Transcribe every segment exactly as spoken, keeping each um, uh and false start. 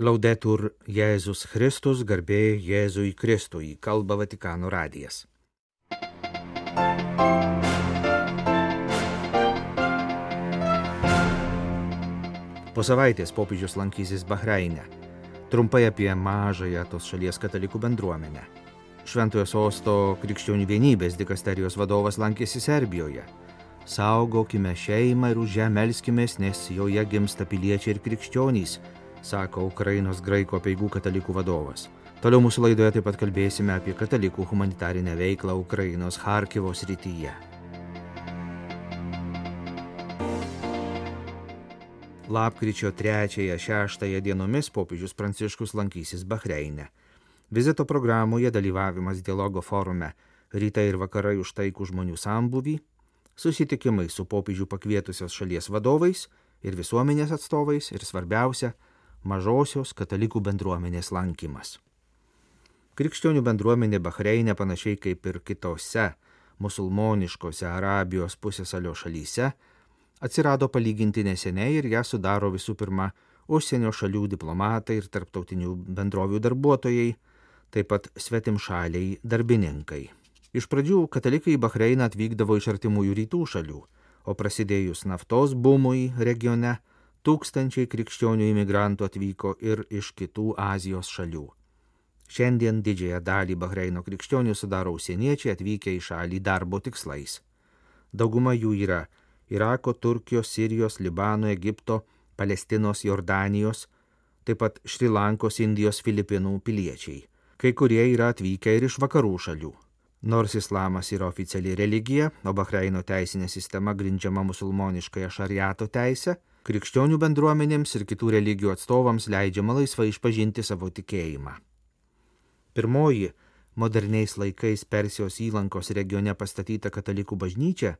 Laudetur Jėzus Kristus, garbė Jėzui Kristui, kalba Vatikano radijas. Po savaitės popiežius lankysis Bahreine. Trumpai apie mažąją tos šalies katalikų bendruomenę. Šventojo sosto krikščionių vienybės dikasterijos vadovas lankėsi Serbijoje. Saugokime šeimą ir už ją melskimės, nes joje gimsta piliečiai ir krikščionys, sako Ukrainos graikų apeigų katalikų vadovas. Toliau mūsų laidoje taip pat kalbėsime apie katalikų humanitarinę veiklą Ukrainos Charkivo srityje. Lapkričio trečiąją šeštąją dienomis popiežius Pranciškus lankysis Bahreine. Vizito programoje dalyvavimas dialogo forume Rytai ir vakarai už taikų žmonių sambūvį, susitikimai su popiežių pakvietusios šalies vadovais ir visuomenės atstovais ir svarbiausia, mažosios katalikų bendruomenės lankymas. Krikščionių bendruomenė Bahreine panašiai kaip ir kitose musulmoniškose Arabijos pusiasalio šalyse atsirado palyginti neseniai ir ją sudaro visų pirma užsienio šalių diplomatai ir tarptautinių bendrovių darbuotojai, taip pat svetimšaliai darbininkai. Iš pradžių katalikai į Bahreiną atvykdavo iš artimųjų rytų šalių, o prasidėjus naftos bumui regione, tūkstančiai krikščionių imigrantų atvyko ir iš kitų Azijos šalių. Šiandien didžiąją dalį Bahreino krikščionių sudaro užsieniečiai atvykę į šalį darbo tikslais. Dauguma jų yra Irako, Turkijos, Sirijos, Libano, Egipto, Palestinos, Jordanijos, taip pat Šri Lankos, Indijos, Filipinų piliečiai. Kai kurie yra atvykę ir iš vakarų šalių. Nors islamas yra oficiali religija, o Bahreino teisinė sistema grindžiama musulmoniškąją šariato teisę, krikščionių bendruomenėms ir kitų religijų atstovams leidžiama laisvai išpažinti savo tikėjimą. Pirmoji moderniais laikais Persijos įlankos regione pastatyta katalikų bažnyčia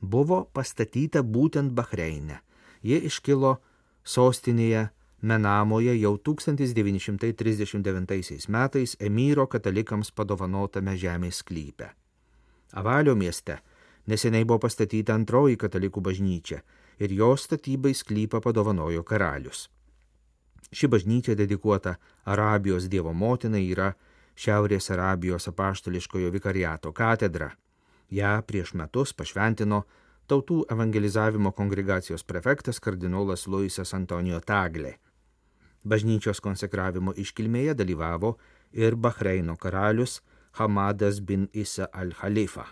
buvo pastatyta būtent Bahreine. Ji iškilo sostinėje Menamoje jau tūkstantis devyni šimtai trisdešimt devintaisiais metais emyro katalikams padovanotame žemės sklype. Avalio mieste neseniai buvo pastatyta antroji katalikų bažnyčia ir jos statybai sklypą padovanojo karalius. Ši bažnyčia dedikuota Arabijos Dievo motinai yra Šiaurės Arabijos apaštališkojo vikariato katedra. Ja prieš metus pašventino Tautų evangelizavimo kongregacijos prefektas kardinolas Luisas Antonijo Taglė. Bažnyčios konsekravimo iškilmėje dalyvavo ir Bahreino karalius Hamadas bin Isa al-Khalifa.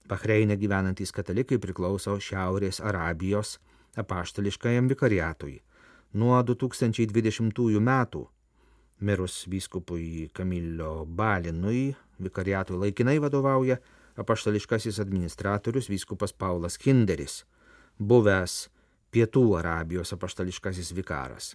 Bahreine gyvenantys katalikai priklauso Šiaurės Arabijos apaštališkajam vikariatui. Nuo du tūkstančiai dvidešimtųjų metų mirus vyskupui Kamilio Balinui vikariatui laikinai vadovauja apaštališkasis administratorius vyskupas Paulas Kinderis, buvęs Pietų Arabijos apaštališkasis vikaras.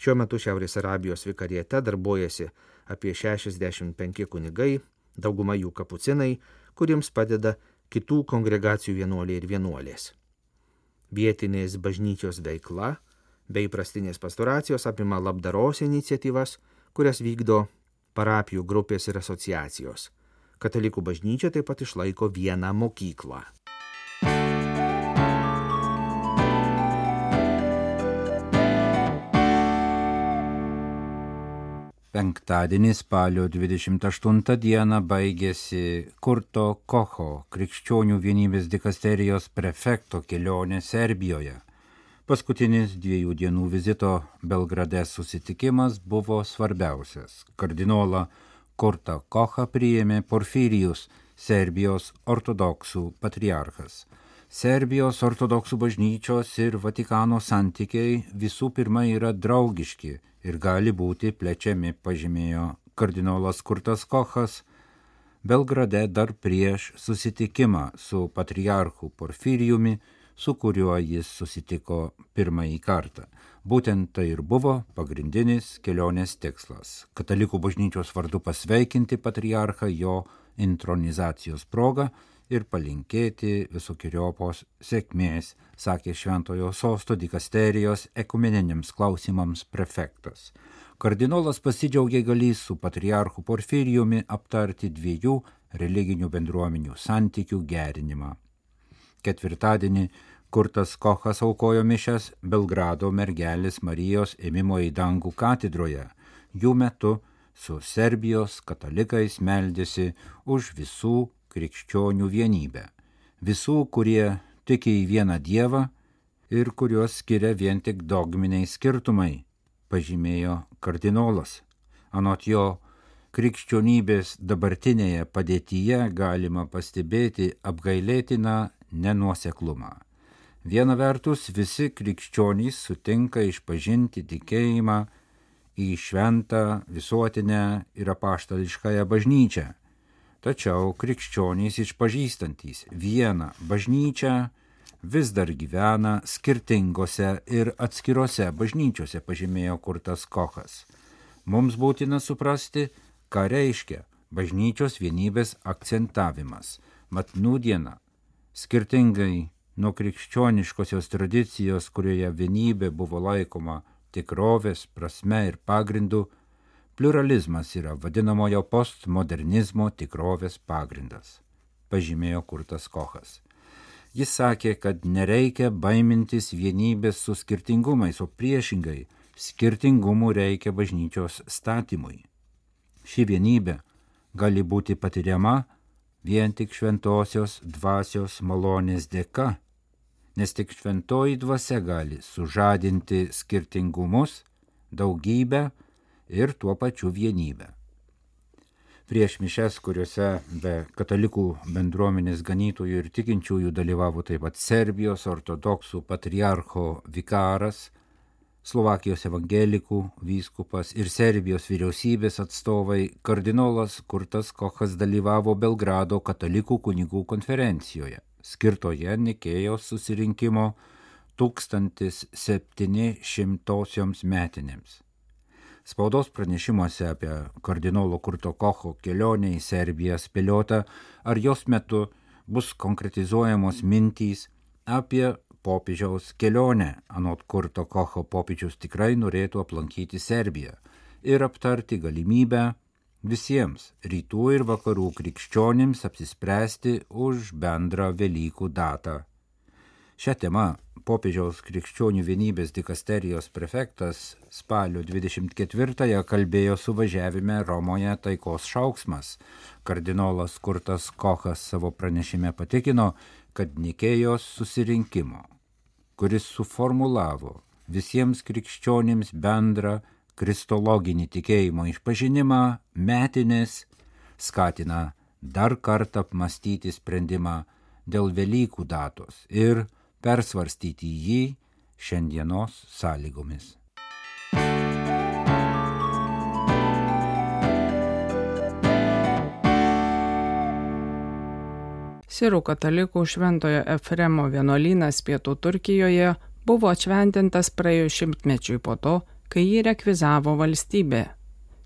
Šiuo metu Šiaurės Arabijos vikariate darbuojasi apie šešiasdešimt penki kunigai, dauguma jų kapucinai, kuriems padeda kitų kongregacijų vienuoliai ir vienuolės. Vietinės bažnyčios veikla bei prastinės pastoracijos apima labdaros iniciatyvas, kurias vykdo parapijų grupės ir asociacijos. Katalikų bažnyčia taip pat išlaiko vieną mokyklą. Penktadienį spalio dvidešimt aštuntą dieną baigėsi Kurto Kocho krikščionių vienybės dikasterijos prefekto kelionė Serbijoje. Paskutinis dviejų dienų vizito Belgrade susitikimas buvo svarbiausias. Kardinolą Kurtą Kochą priėmė Porfirijus, Serbijos ortodoksų patriarchas. Serbijos ortodoksų bažnyčios ir Vatikano santykiai visų pirma yra draugiški ir gali būti plečiami, pažymėjo kardinolas Kurtas Kochas Belgrade dar prieš susitikimą su patriarchu Porfirijumi, su kuriuo jis susitiko pirmąjį kartą. Būtent tai ir buvo pagrindinis kelionės tikslas – katalikų bažnyčios vardu pasveikinti patriarchą jo intronizacijos proga ir palinkėti visokiojopos sėkmės, sakė Šventojo sosto dikasterijos ekumeniniams klausimams prefektas. Kardinolas pasidžiaugė galįs su patriarchu Porfirijumi aptarti dviejų religinių bendruomenių santykių gerinimą. Ketvirtadienį Kurtas Kochas aukojo mišias Belgrado mergelės Marijos ėmimo į dangų katedroje. Jų metu su Serbijos katalikais meldėsi už visų krikščionių vienybę. Visų, kurie tiki į vieną Dievą ir kuriuos skiria vien tik dogminiai skirtumai, pažymėjo kardinolas. Anot jo, krikščionybės dabartinėje padėtyje galima pastebėti apgailėtiną nenuoseklumą. Viena vertus, visi krikščionys sutinka išpažinti tikėjimą į šventą, visuotinę ir apaštališkąją bažnyčią. Tačiau krikščionys išpažįstantys vieną bažnyčią vis dar gyvena skirtingose ir atskirose bažnyčiose, pažymėjo Kurtas Kochas. Mums būtina suprasti, ką reiškia bažnyčios vienybės akcentavimas. Mat nūdiena, skirtingai nuo krikščioniškosios tradicijos, kurioje vienybė buvo laikoma tikrovės, prasme ir pagrindu, pluralizmas yra vadinamojo postmodernizmo tikrovės pagrindas, pažymėjo Kurtas Kochas. Jis sakė, kad nereikia baimintis vienybės su skirtingumais, o priešingai skirtingumų reikia bažnyčios statymui. Ši vienybė gali būti patiriama vien tik šventosios dvasios malonės dėka, nes tik šventoji dvasia gali sužadinti skirtingumus, daugybę ir tuo pačiu vienybę. Prieš mišias, kuriuose be katalikų bendruomenės ganytojų ir tikinčiųjų dalyvavo taip pat Serbijos ortodoksų patriarcho vikaras, Slovakijos evangelikų vyskupas ir Serbijos vyriausybės atstovai, kardinolas Kurtas Kochas dalyvavo Belgrado katalikų kunigų konferencijoje, skirtoje Nikėjos susirinkimo tūkstantis septyni šimtosioms metinėms. Spaudos pranešimuose apie kardinolo Kurto Kocho kelionę į Serbiją spėliota, ar jos metu bus konkretizuojamos mintys apie popiežiaus kelionę. Anot Kurto Kocho, popiežius tikrai norėtų aplankyti Serbiją ir aptarti galimybę visiems rytų ir vakarų krikščionims apsispręsti už bendrą Velykų datą. Šią temą popiežiaus krikščionių vienybės dikasterijos prefektas spalio dvidešimt ketvirtąją kalbėjo suvažiavime Romoje taikos šauksmas. Kardinolas Kurtas Kochas savo pranešime patikino, kad Nikėjos susirinkimo, kuris suformulavo visiems krikščionims bendrą kristologinį tikėjimo išpažinimą, metinės, skatina dar kartą apmastyti sprendimą dėl Velykų datos ir persvarstyti jį šiandienos sąlygomis. Sirų katalikų Šventojo Efremo vienuolynas pietų Turkijoje buvo atšventintas praėjus šimtmečiui po to, kai jį rekvizavo valstybė.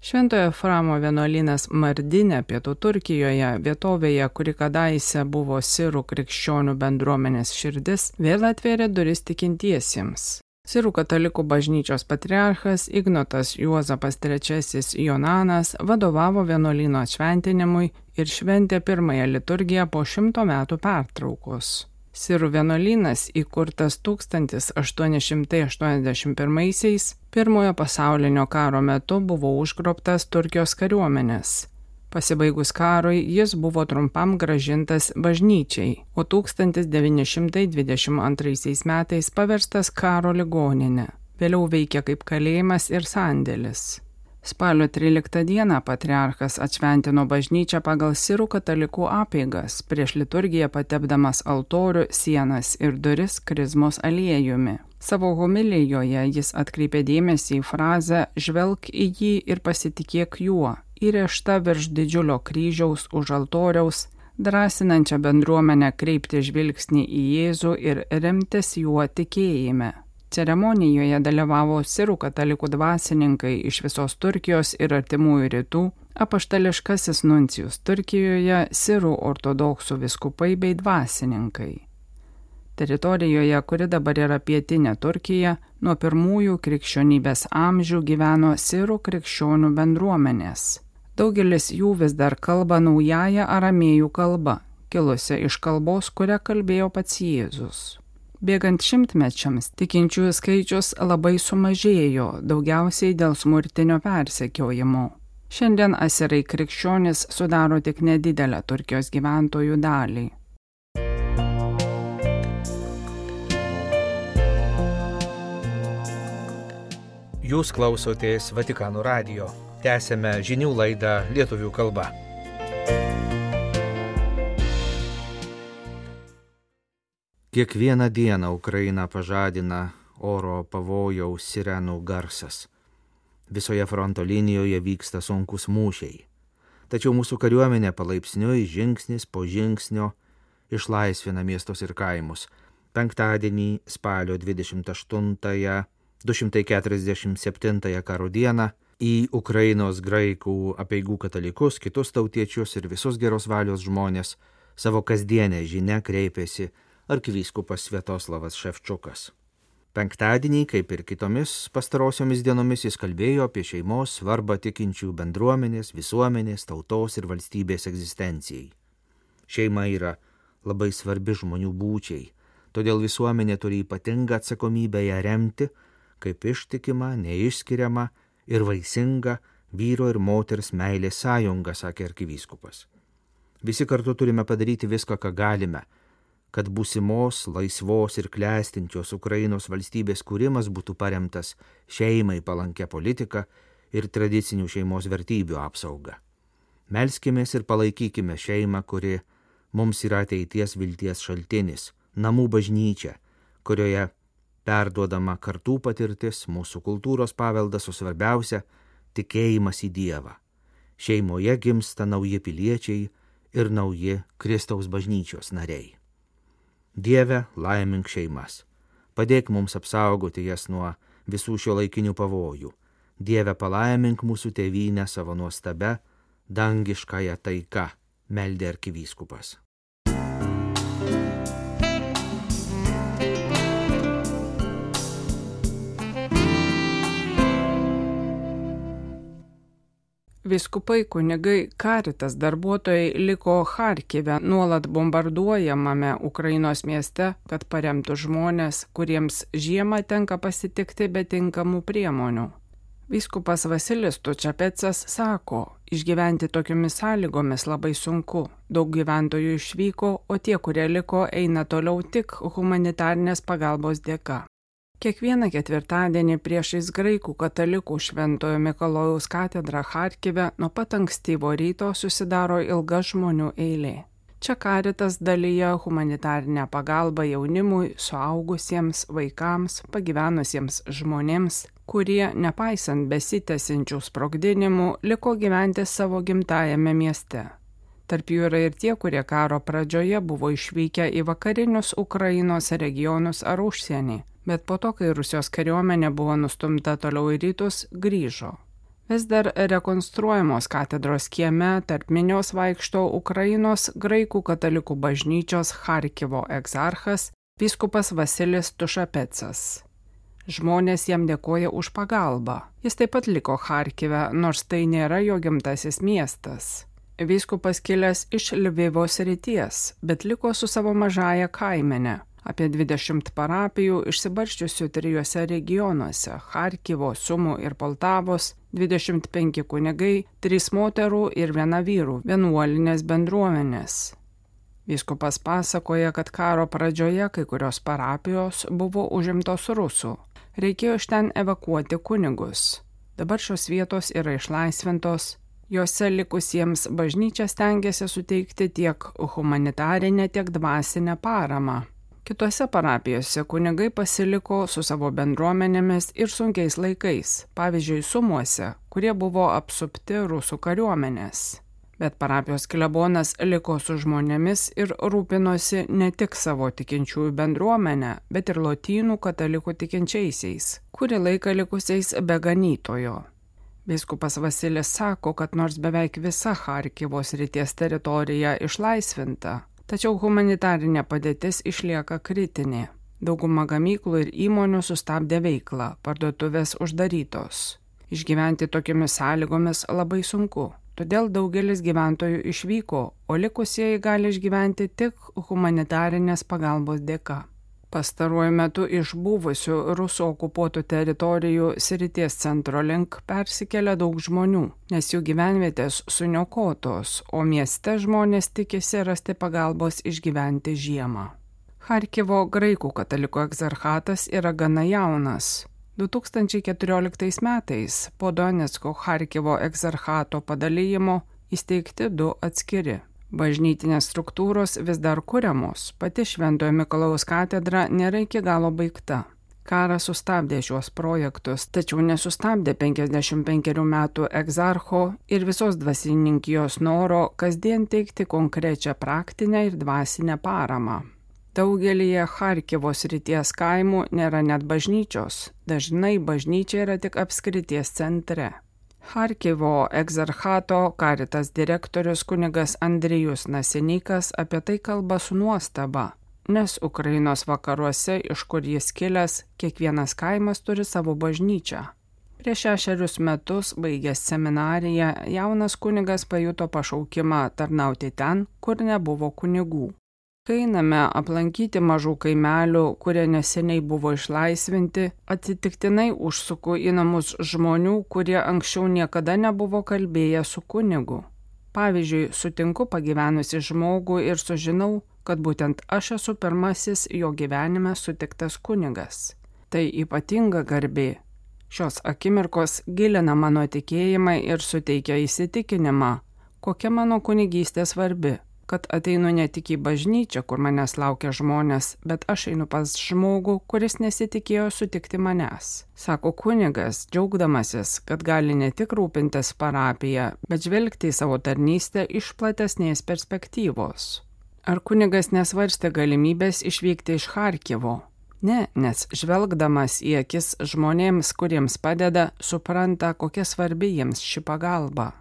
Šventojo Efremo vienuolynas Mardinė pietų Turkijoje, vietovėje, kuri kadaise buvo sirų krikščionių bendruomenės širdis, vėl atvėrė duris tikintiesiems. Sirų katalikų bažnyčios patriarchas Ignotas Juozapas trečiasis Jonanas vadovavo vienuolyno atšventinimui ir šventė pirmąją liturgiją po šimto metų pertraukos. Sirų vienuolynas, įkurtas tūkstantis aštuoni šimtai aštuoniasdešimt pirmaisiais, pirmojo pasaulinio karo metu buvo užgrobtas Turkijos kariuomenės. Pasibaigus karui jis buvo trumpam grąžintas bažnyčiai, o tūkstantis devyni šimtai dvidešimt antraisiais metais paverstas karo ligoninė. Vėliau veikė kaip kalėjimas ir sandėlis. Spalio tryliktą dieną patriarchas atšventino bažnyčią pagal sirų katalikų apeigas, prieš liturgiją patepdamas altorių, sienas ir duris krizmos aliejumi. Savo homilijoje jis atkreipė dėmesį į frazę "žvelk į jį ir pasitikėk juo", įrėžta virš didžiulio kryžiaus už altoriaus, drąsinančią bendruomenę kreipti žvilgsnį į Jėzų ir remtis juo tikėjime. Ceremonijoje dalyvavo sirų katalikų dvasininkai iš visos Turkijos ir artimųjų rytų, apaštališkasis nuncijus Turkijoje, sirų ortodoksų vyskupai bei dvasininkai. Teritorijoje, kuri dabar yra pietinė Turkija, nuo pirmųjų krikščionybės amžių gyveno sirų krikščionių bendruomenės. Daugelis jų vis dar kalba naująją aramėjų kalbą, kilusią iš kalbos, kurią kalbėjo pats Jėzus. Bėgant šimtmečiams, tikinčiųjų skaičius labai sumažėjo, daugiausiai dėl smurtinio persekiojimo. Šiandien asirai krikščionys sudaro tik nedidelę Turkijos gyventojų dalį. Jūs klausotės Vatikano radijo. Tęsėme žinių laidą lietuvių kalba. Kiekvieną dieną Ukrainą pažadina oro pavojaus sirenų garsas. Visoje fronto linijoje vyksta sunkus mūšiai. Tačiau mūsų kariuomenė palaipsniui žingsnis po žingsnio išlaisvina miestus ir kaimus. Penktadienį spalio dvidešimt aštuntąją du šimtai keturiasdešimt septintąją karo dieną į Ukrainos graikų apeigų katalikus, kitus tautiečius ir visus geros valios žmonės savo kasdienę žinią kreipėsi arkivyskupas Sviatoslavas Ševčukas. Penktadienį, kaip ir kitomis pastarosiomis dienomis, jis kalbėjo apie šeimos svarbą tikinčių bendruomenės, visuomenės, tautos ir valstybės egzistencijai. Šeima yra labai svarbi žmonių būčiai, todėl visuomenė turi ypatingą atsakomybę ją remti, kaip ištikima, neišskiriama ir vaisinga vyro ir moters meilės sąjunga, sakė arkivyskupas. Visi kartu turime padaryti viską, ką galime, kad būsimos, laisvos ir klestinčios Ukrainos valstybės kūrimas būtų paremtas šeimai palankia politika ir tradicinių šeimos vertybių apsauga. Melskimės ir palaikykime šeimą, kuri mums yra ateities vilties šaltinis, namų bažnyčia, kurioje perduodama kartų patirtis, mūsų kultūros paveldas, o svarbiausia – tikėjimas į Dievą. Šeimoje gimsta nauji piliečiai ir nauji Kristaus bažnyčios nariai. Dieve, laimink šeimas. Padėk mums apsaugoti jas nuo visų šiuolaikinių pavojų. Dieve, palaimink mūsų tėvynę savo nuostabia, dangiškąją taika, meldė arkivyskupas. Vyskupai, kunigai, Caritas darbuotojai liko Charkive, nuolat bombarduojamame Ukrainos mieste, kad paremtų žmonės, kuriems žiemą tenka pasitikti be tinkamų priemonių. Vyskupas Vasilis Tučapecas sako, išgyventi tokiomis sąlygomis labai sunku. Daug gyventojų išvyko, o tie, kurie liko, eina toliau tik humanitarnės pagalbos dėka. Kiekvieną ketvirtadienį priešais graikų katalikų Šventojo Mikalojaus katedrą Charkive nuo pat ankstyvo ryto susidaro ilga žmonių eilė. Čia Caritas dalyja humanitarinę pagalbą jaunimui, suaugusiems, vaikams, pagyvenusiems žmonėms, kurie, nepaisant besitęsiančių sprogdinimų, liko gyventi savo gimtajame mieste. Tarp jų yra ir tie, kurie karo pradžioje buvo išvykę į vakarinius Ukrainos regionus ar užsienį, bet po to, kai Rusijos kariuomenė buvo nustumta toliau į rytus, grįžo. Vis dar rekonstruojamos katedros kieme tarp minios vaikšto Ukrainos graikų katalikų bažnyčios Charkivo egzarchas vyskupas Vasilis Tušapecas. Žmonės jam dėkoja už pagalbą. Jis taip pat liko Charkive, nors tai nėra jo gimtasis miestas. Vyskupas kilęs iš Lvivo srities, bet liko su savo mažąja kaimene. Apie dvidešimt parapijų išsibarsčiusių trijuose regionuose – Charkivo, Sumų ir Poltavos, dvidešimt penki kunigai, trys moterų ir viena vyrų vienuolinės bendruomenės. Vyskupas pasakoja, kad karo pradžioje kai kurios parapijos buvo užimtos rusų. Reikėjo iš ten evakuoti kunigus. Dabar šios vietos yra išlaisvintos. Jose likusiems bažnyčia stengiasi suteikti tiek humanitarinę, tiek dvasinę paramą. Kitose parapijose kunigai pasiliko su savo bendruomenėmis ir sunkiais laikais, pavyzdžiui, Sumuose, kurie buvo apsupti rusų kariuomenės. Bet parapijos klebonas liko su žmonėmis ir rūpinosi ne tik savo tikinčiųjų bendruomenę, bet ir lotynų katalikų tikinčiaisiais, kurį laiką likusiais be ganytojo. Vyskupas Vasilis sako, kad nors beveik visa Charkivo srities teritorija išlaisvinta, tačiau humanitarinė padėtis išlieka kritinė. Dauguma gamyklų ir įmonių sustabdė veiklą, parduotuvės uždarytos. Išgyventi tokiamis sąlygomis labai sunku, todėl daugelis gyventojų išvyko, o likusieji gali išgyventi tik humanitarinės pagalbos dėka. Pastaruoju metu iš buvusių Rusų okupuotų teritorijų srities centro link persikelia daug žmonių, nes jų gyvenvietės suniokotos, o mieste žmonės tikisi rasti pagalbos išgyventi žiemą. Charkivo graikų katalikų egzarchatas yra gana jaunas. du tūkstančiai keturioliktais metais po Donecko Charkivo egzarchato padalijimo įsteigti du atskiri. Bažnytinės struktūros vis dar kuriamos, pati Šventojo Mikalojaus katedra nėra iki galo baigta. Karas sustabdė šiuos projektus, tačiau nesustabdė penkiasdešimt penkerių metų egzarcho ir visos dvasininkijos noro kasdien teikti konkrečią praktinę ir dvasinę paramą. Daugelyje Charkivo srities kaimų nėra net bažnyčios, dažnai bažnyčia yra tik apskrities centre. Charkivo egzarchato Caritas direktorius kunigas Andrijus Nasenikas apie tai kalba su nuostaba, nes Ukrainos vakaruose, iš kur jis kilęs, kiekvienas kaimas turi savo bažnyčią. Prieš šešerius metus, baigęs seminariją, jaunas kunigas pajuto pašaukimą tarnauti ten, kur nebuvo kunigų. Kai einame aplankyti mažų kaimelių, kurie neseniai buvo išlaisvinti, atsitiktinai užsuku į namus žmonių, kurie anksčiau niekada nebuvo kalbėję su kunigu. Pavyzdžiui, sutinku pagyvenusi žmogų ir sužinau, kad būtent aš esu pirmasis jo gyvenime sutiktas kunigas. Tai ypatinga garbė. Šios akimirkos gilina mano tikėjimą ir suteikia įsitikinimą, kokia mano kunigystė svarbi. Kad ateinu ne tik į bažnyčią, kur manęs laukia žmonės, bet aš einu pas žmogų, kuris nesitikėjo sutikti manęs. Sako kunigas, džiaugdamasis, kad gali ne tik rūpintis parapiją, bet žvelgti į savo tarnystę iš platesnės perspektyvos. Ar kunigas nesvarstė galimybės išvykti iš Charkivo? Ne, nes žvelgdamas į akis žmonėms, kuriems padeda, supranta, kokia svarbi jiems ši pagalba.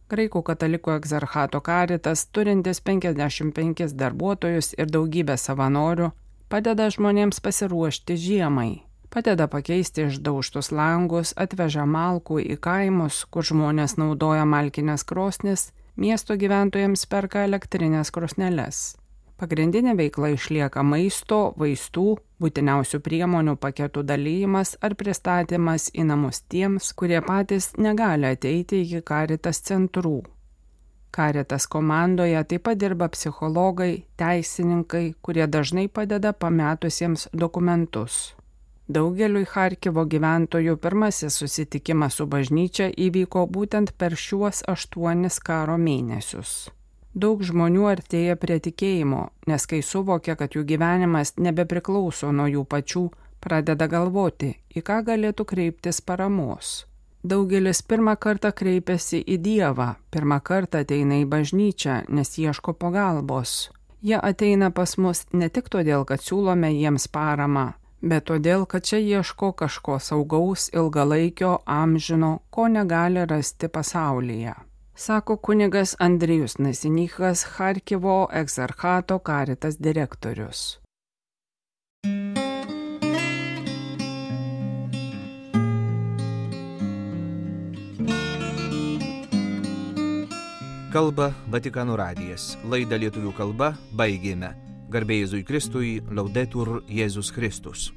Graikų katalikų egzarchato Caritas, turintis penkiasdešimt penkis darbuotojus ir daugybę savanorių, padeda žmonėms pasiruošti žiemai. Padeda pakeisti išdaužtus langus, atveža malkų į kaimus, kur žmonės naudoja malkinės krosnis, miesto gyventojams perka elektrinės krosneles. Pagrindinė veikla išlieka maisto, vaistų, būtiniausių priemonių paketų dalyjimas ar pristatymas į namus tiems, kurie patys negali ateiti iki Caritas centrų. Caritas komandoje taip pat dirba psichologai, teisininkai, kurie dažnai padeda pametusiems dokumentus. Daugeliui Charkivo gyventojų pirmasis susitikimas su bažnyčia įvyko būtent per šiuos aštuonis karo mėnesius. Daug žmonių artėja prie tikėjimo, nes kai suvokia, kad jų gyvenimas nebepriklauso nuo jų pačių, pradeda galvoti, į ką galėtų kreiptis paramos. Daugelis pirmą kartą kreipiasi į Dievą, pirmą kartą ateina į bažnyčią, nes ieško pagalbos. Jie ateina pas mus ne tik todėl, kad siūlome jiems paramą, bet todėl, kad čia ieško kažko saugaus, ilgalaikio, amžino, ko negali rasti pasaulyje. Sako kunigas Andrijus Nasenikas, Charkivo egzarchato Caritas direktorius. Kalba Vatikano radijas. Laidą lietuvių kalba baigėme. Garbė Jėzui Kristui, Laudetur Jėzus Kristus.